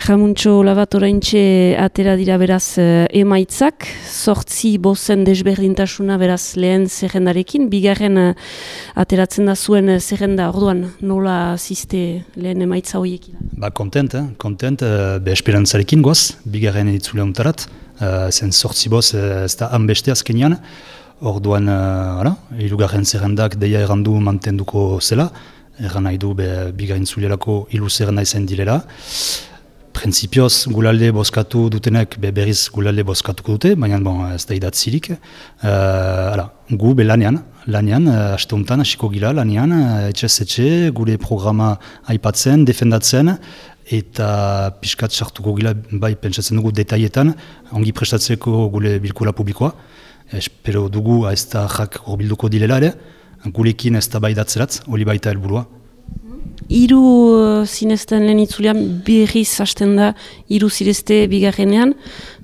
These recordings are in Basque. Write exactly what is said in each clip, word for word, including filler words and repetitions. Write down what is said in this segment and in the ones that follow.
Jamuntxo Labat oraintxe atera dira beraz emaitzak, sortzi bozen desberdintasuna beraz lehen zerrendarekin, bigarren ateratzen da zuen zerrenda, orduan nola ziste lehen emaitza horiekin? Ba, kontent, eh? kontent, be esperantzarekin goaz, bigarren editzule ontarat, uh, zen sortzi boz ez da hanbeste azkenean, orduan, uh, hirugarren zerrendak deia errandu mantenduko zela, erran nahi du be bigarren zulerako hilu zerrenda izan direla. Printzipioz, gulalde bozkatu dutenek be berriz gulalde bozkatuko dute, baina bon, ez da idatzirik. Uh, gu be lanean, lanean, uh, aste honetan, hasiko gila lanean, uh, etxez etxe, gure programa aipatzen, defendatzen, eta pixkat sartuko gila, bai, pentsatzen dugu detaietan, ongi prestatzeko gure bilkura publikoa. Espero dugu ez da jak horbilduko dilela ere, gurekin ez da bai datzeratz, hori baita helburua. Hiru uh, zinezten lehen itzulean berriz hasten da, hiru zirezte bigarrenean,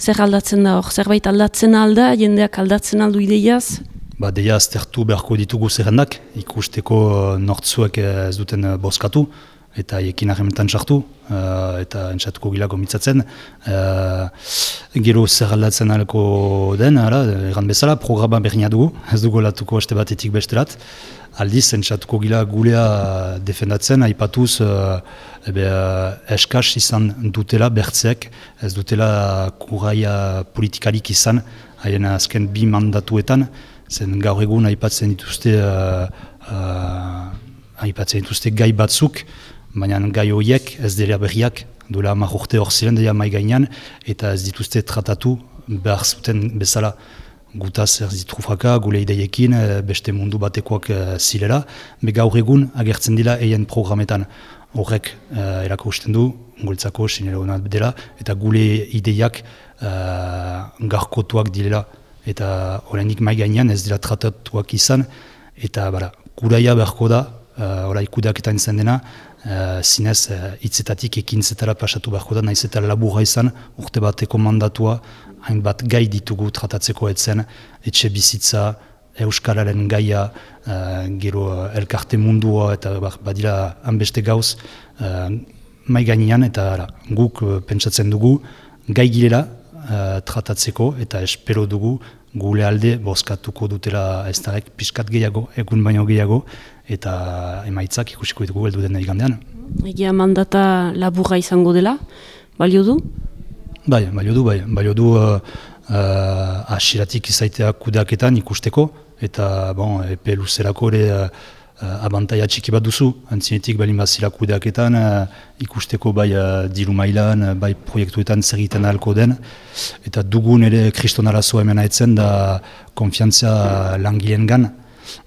zer aldatzen da hor? Zerbait aldatzen alda, jendeak aldatzen aldu ideiaz? Ba, deia aztertu beharko ditugu zerrendak, ikusteko uh, nortzuek ez duten uh, bozkatu, eta ekin harrementan sartu, uh, eta entzatuko gilako mitzatzen. Uh, gero zer aldatzen alko den, erran bezala, programa berriña dugu, ez dugu latuko haste batetik besterat. Aldiz, entzatuko gila gulea defendatzen, aipatuz uh, ebe, uh, eskaz izan dutela bertzeek, ez dutela kurraia politikarik izan, haien azken bi mandatuetan, zen gaur egun aipatzen dituzte, uh, uh, aipatzen dituzte gai batzuk, baina gai horiek ez dira berriak, duela hamar urte hor ziren dira mai gainean, eta ez dituzte tratatu behar zuten bezala. Gutaz ez ditrufaka, gule ideiekin, beste mundu batekoak zilera, be gaur egun agertzen dira eien programetan. Horrek uh, erakusten du, gultzako sinero hona dela, eta gule ideiak uh, garkotuak direla. Eta horrenik mai gainean ez dira tratatuak izan, eta bara, kuraia beharko da, uh, orai kudeaketan izan dena, uh, zinez uh, hitzetatik ekintzetara pasatu beharko da, nahiz eta laburra izan, urte bateko mandatua, hainbat gai ditugu tratatzeko etzen, etxe bizitza, euskararen gaia, uh, gero uh, elkarte mundua eta badira hanbeste gauz uh, mai gainean, eta ara, guk uh, pentsatzen dugu gai girela uh, tratatzeko, eta espero dugu gure alde bozkatuko dutela ez darek pixkat gehiago, egun baino gehiago, eta emaitzak ikusiko ditugu heldu den igandean. Egia mandata laburra izango dela, balio du? Bai, balio du, bai. Balio du uh, uh, asiratik izaitea kudeaketan ikusteko, eta bon, epe luzerako ere uh, uh, abantaia txiki bat duzu, antzinetik balin bazila kudeaketan uh, ikusteko bai uh, diru mailan, uh, bai proiektuetan zer egiten ahalko den, eta dugun ere kriston arazoa hemen haetzen da konfiantzia langileen gan.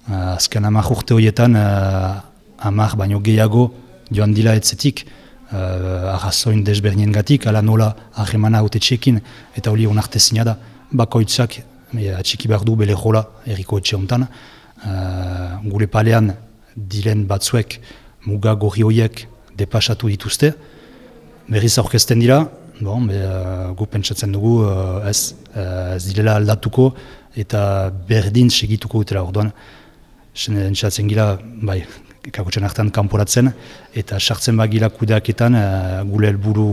Uh, azken hamar urte horietan, uh, hamar baino gehiago joan dila etzetik, Uh, arrazoin desberdinen gatik, ala nola harremana haute txekin, eta hori onartezina da. Bakoitzak e, atxiki behar du bele jola erriko etxe honetan. Uh, gure palean diren batzuek muga gorri horiek depasatu dituzte. Berriz aurkezten dira, bon, be, uh, gu pentsatzen dugu uh, ez, uh, ez direla aldatuko eta berdin segituko dutela orduan. Entzatzen gila, bai, kakotxen hartan kanporatzen, eta sartzen bagila kudeaketan uh, gure helburu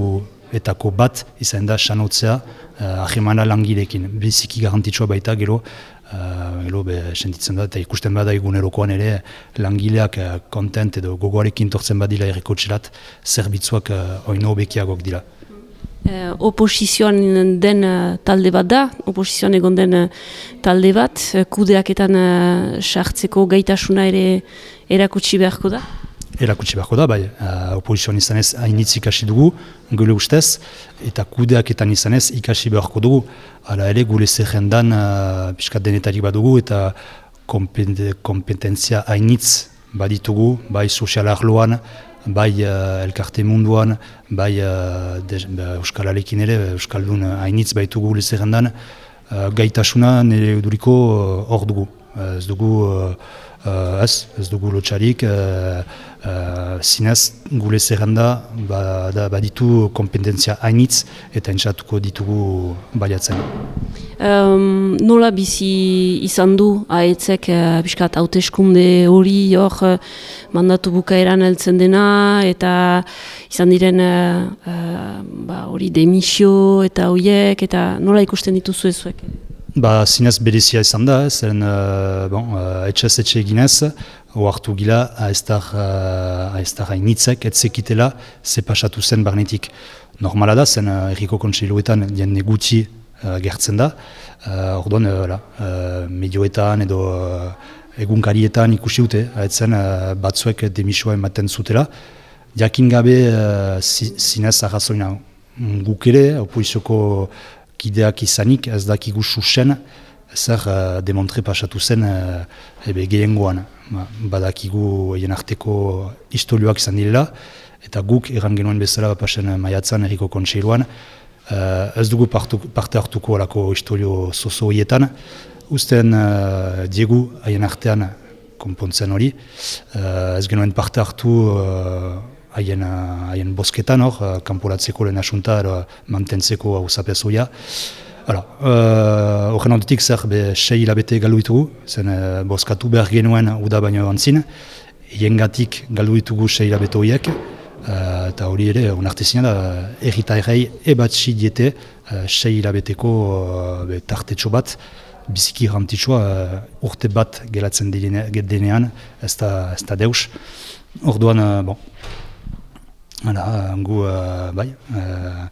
etako bat izan da sanotzea uh, ahemana langilekin. Biziki garantitxoa baita gero, uh, gero be, sentitzen da, eta ikusten bada egunerokoan ere langileak uh, kontent edo gogoarekin tortzen badila errekotxelat, zerbitzuak uh, oino bekiagok dira. Eh, oposizioan den uh, talde bat da, oposizioan egon den uh, talde bat, uh, kudeaketan uh, sartzeko gaitasuna ere erakutsi beharko da? Erakutsi beharko da, bai. Uh, oposizioan izanez hainitz ikasi dugu, gure ustez, eta kudeaketan izanez ikasi beharko dugu. Hala ere gure zerrendan uh, piskat denetarik badugu, eta kompetentzia hainitz baditugu, bai sozial arloan, bai uh, elkarte munduan, bai uh, Euskalarekin ere, Euskaldun hainitz baitugu lezerrendan, uh, gaitasuna nire duriko hor uh, dugu. Uh, ez dugu, uh, uh, ez, ez dugu lotxarik, uh, uh, zinez gure zerrenda ba, baditu kompetentzia hainitz eta entzatuko ditugu baliatzen. Um, nola bizi izan du aetzek uh, biskat hauteskunde hori hor uh, mandatu bukaeran heltzen dena eta izan diren uh, uh, ba, hori demisio eta hoiek, eta nola ikusten dituzu ezuek? Ba, zinez berezia izan da, zen uh, bon, uh, etxez etxe eginez, oartu gila aiztar uh, hainitzek, etzekitela, ze pasatu zen barnetik. Normala da, zen uh, erriko kontseiluetan jende gutxi uh, gertzen da, uh, orduan uh, uh, medioetan edo uh, egunkarietan ikusi dute, etzen uh, batzuek demisoa ematen zutela, jakin gabe uh, zinez arrazoina guk ere, opoizioko kideak izanik, ez dakigu susen, zer uh, demontre pasatu zen uh, ebe gehiengoan. Ba, badakigu egin arteko historioak izan direla, eta guk erran genuen bezala pasen maiatzan erriko kontseiluan, uh, ez dugu partu, parte hartuko alako historio zozo horietan, usten uh, diegu haien artean konpontzen hori, uh, ez genuen parte hartu uh, haien, haien bosketan hor, kanporatzeko lehen asunta, mantentzeko hausapez hoia. Horren uh, ondotik zer be sei hilabete galdu ditugu, zen uh, boskatu behar genuen uda baino antzin, hiengatik galdu ditugu sei hilabete horiek, uh, eta hori ere, onartezina da, erritairei ebatxi diete uh, sei hilabeteko uh, tartetxo bat, biziki rantitxoa uh, urte bat gelatzen denean, ez da, ez da deus. Orduan, uh, bon, Hala, gu, uh, bai, uh,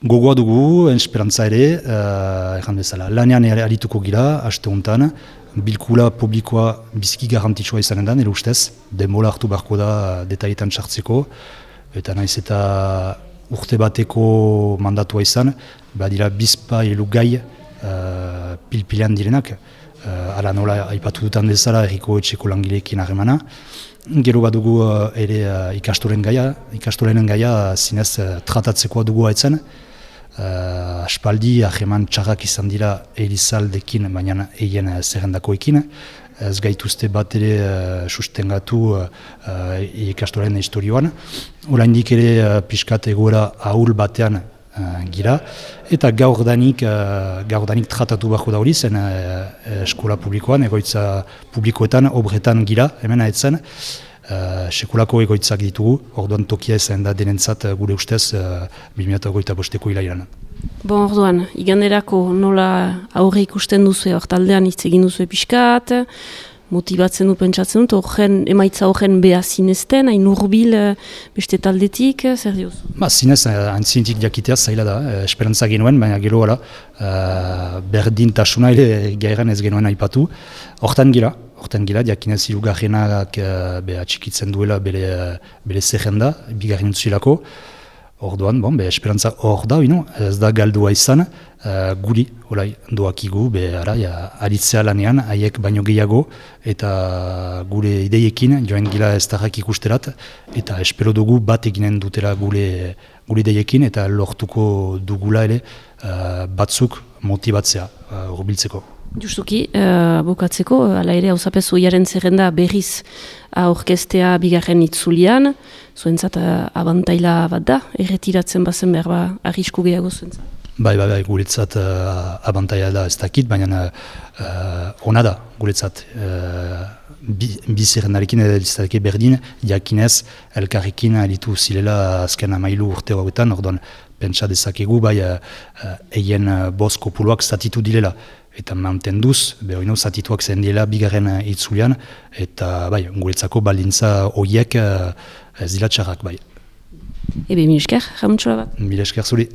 gogoa dugu, esperantza ere, uh, erran bezala, lanean arituko gira, haste honetan, bilkula publikoa biziki garrantzitsua izanen da, nire ustez, denbola hartu beharko da detaietan sartzeko, eta naiz eta urte bateko mandatua izan, badira bizpa elu gai uh, pilpilean direnak, uh, ala nola aipatu dutan bezala erriko etxeko langileekin harremana. Gero bat dugu uh, ere uh, ikastoren gaia, ikastorenen gaia zinez uh, tratatzekoa dugu haitzen. Uh, aspaldi, ahreman txarrak izan dira Elizaldekin, baina eien uh, zerrendakoekin. Ez gaituzte bat ere uh, sustengatu uh, uh, ikastoren historioan. Oraindik ere uh, pixkat egoera ahul batean uh, gira. Eta gaur danik, uh, gaur danik tratatu beharko da hori zen uh, eskola publikoan, egoitza publikoetan, obretan gira, hemen haetzen. Uh, sekulako egoitzak ditugu, orduan tokia ezen da denentzat uh, gure ustez uh, bi mila hogeita bosteko hilailan. Bon, orduan, iganerako nola aurre ikusten duzu, hor taldean hitz egin duzu pixkat, motibatzen du pentsatzen dut, horren, emaitza horren beha zinezten, hain urbil beste taldetik, zer dioz? Ba, zinez, antzinetik jakitea zaila da, eh, esperantza genuen, baina gero gara, uh, berdintasuna ere gairan ez genuen aipatu, hortan gira, hortan gira, jakinez hirugarrenak uh, beha txikitzen duela bere, bere zerrenda, bigarren zuilako, orduan, bon, be, esperantza hor da, ino, ez da galdua izan, uh, guri, olai, doakigu, be, ara, ja, aritzea lanean, haiek baino gehiago, eta gure ideiekin, joan gila ez tarrak ikusterat, eta espero dugu bat eginen dutela gure, gure ideiekin, eta lortuko dugula ere uh, batzuk motibatzea, uh, urbiltzeko. Justuki, uh, bukatzeko, ala ere, hauzapez oiaren zerrenda berriz aurkestea bigarren itzulian, zuentzat uh, abantaila bat da, erretiratzen bazen behar ba, arrisku gehiago zuentzat. Bai, bai, bai, guretzat uh, abantaila da ez dakit, baina uh, ona da guretzat. Uh, bi, bi zerrendarekin edo berdin, jakinez, elkarrekin alitu zilela azken amailu urte hauetan, orduan pentsa dezakegu, bai, eien uh, uh, bost kopuluak zatitu direla. Eta mantenduz, behoino zatituak zen dela bigarren itzulian, eta bai, guretzako baldintza horiek uh, ez dira txarrak, bai. Ebe, mil esker, jamuntxola bat? Mil esker zuri.